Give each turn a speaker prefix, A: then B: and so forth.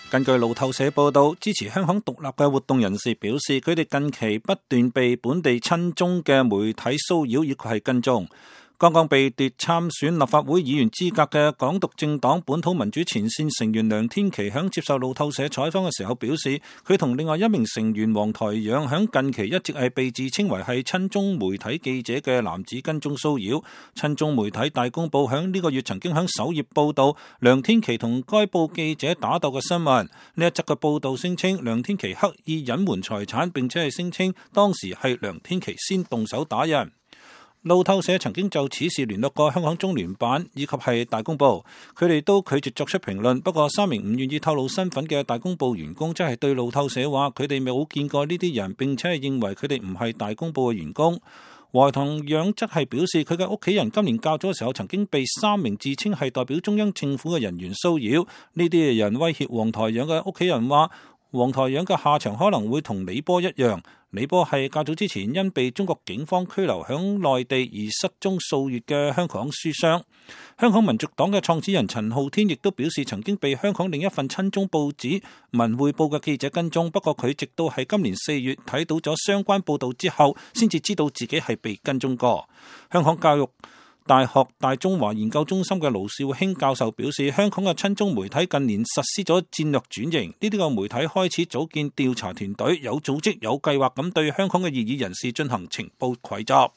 A: 根據路透社報道，支持香港獨立嘅活動人士表示，佢哋近期不斷被本地親中嘅媒體騷擾以及係跟蹤。剛剛被奪參選立法會議員資格嘅港獨政黨本土民主前線成員梁天琦響接受路透社採訪嘅時候表示，佢同另外一名成員黃台仰響近期一直係被自稱為係親中媒體記者嘅男子跟蹤騷擾。親中媒體大公報響呢個月曾經響首頁報道梁天琦同該報記者打鬥嘅新聞。呢一則嘅報道聲稱梁天琦刻意隱瞞財產，並且係聲稱當時係梁天琦先動手打人。路透社曾經就此事聯絡過香港中聯辦以及係大公報，佢哋都拒絕作出評論。不過3名唔願意透露身份嘅大公報員工真係對路透社話，佢哋冇見過呢啲人，並且係認為佢哋唔係大公報嘅員工。黃台仰則係表示，佢嘅屋企人今年較早嘅時候曾經被3名自稱係代表中央政府嘅人員騷擾。呢啲人威脅黃台仰嘅屋企人話，黃台仰嘅下場可能會同李波一樣。李波係較早之前因被中國警方拘留響內地而失蹤數月嘅香港書商。香港民族黨嘅創始人陳浩天亦都表示，曾經被香港另一份親中報紙《文匯報》嘅記者跟蹤，不過佢直到喺今年4月睇到咗相關報道之後，先至知道自己係被跟蹤過。香港教育大學大中華研究中心嘅盧兆興教授表示，香港嘅親中媒體近年實施咗戰略轉型，呢啲個媒體開始組建調查團隊，有組織有計劃咁對香港嘅異議人士進行情報蒐集。